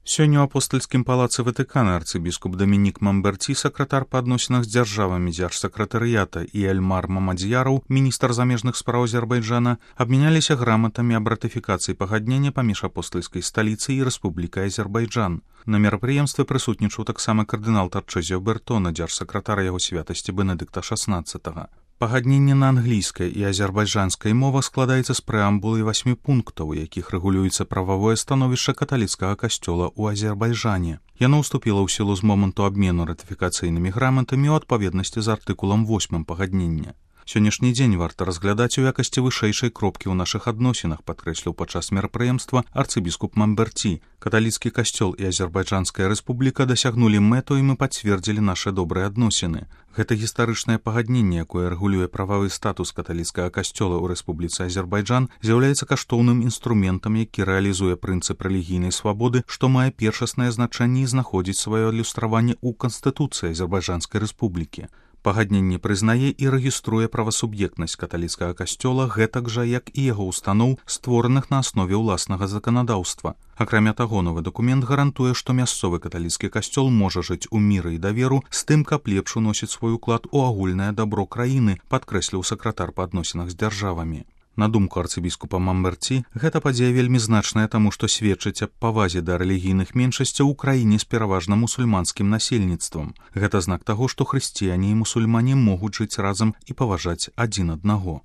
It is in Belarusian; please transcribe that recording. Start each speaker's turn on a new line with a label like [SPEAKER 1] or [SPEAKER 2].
[SPEAKER 1] Сёння ў апостальскім палацы Ватыкана арцыбіскуп Дамінік Мамберці, сакратар па адносінах з дзяржавамі дзяржсакратарыята, і Эльмар Мамадзьяраў, міністр замежных спраў Азербайджана, абмяняліся граматамі аб ратыфікацыі пагаднення паміж апостальскай сталіцай і Рэспублікай Азербайджан. На мерапрыемстве прысутнічаў таксама кардынал Тарчэзіо Бертона, дзяржсакратар яго святасці Бенедыкта XVI. Пагадненне на англійскай і азербайджанскай мовах складаецца з прэамбулы 8 пунктаў, у якіх рэгулюецца прававое становішча каталіцкага касцёла ў Азербайджане. Яно ўступіла ў сілу з моманту абмену ратыфікацыйнымі граматамі ў адпаведнасці з артыкулам 8 пагаднення. Сённяшні дзень варта разглядаць у якасці вышэйшай кропкі ў нашых адносінах, падкрэсліў падчас мерапрыемства арцыбіскуп Мамберці. Каталіцкі касцёл і Азербайджанская рэспубліка дасягнулі мэту, і мы пацвердзілі нашы добрыя адносіны. Гэта гістарычнае пагадненне, якое рэгулюе прававы статус каталіцкага касцёла ў Рэспубліцы Азербайджан, з'яўляецца каштоўным інструментам, які рэалізуе прынцып рэлігійнай свабоды, што мае першаснае значэнне і знаходзіць сваё адлюстраванне ў Канстытуцыі Азербайджанскай рэспублікі. Пагадненне прызнае і рэгіструе правасуб'ектнасць каталіцкага касцёла, гэтак жа, як і яго устаноў, створаных на аснове ўласнага заканадаўства. Акрамя таго, новы дакумент гарантуе, што мясцовы каталіцкі касцёл можа жыць у міры і даверу з тым, каб лепш уносіць свой уклад у агульнае дабро краіны, падкрэсліў сакратар па адносінах з дзяржавамі. На думку арцыбіскупа Мамберці, гэта падзея вельмі значная, таму што сведчыць аб павазе да рэлігійных меншасцяў у краіне з пераважна мусульманскім насельніцтвам. Гэта знак таго, што хрысціяне і мусульмане могуць жыць разам і паважаць адзін аднаго.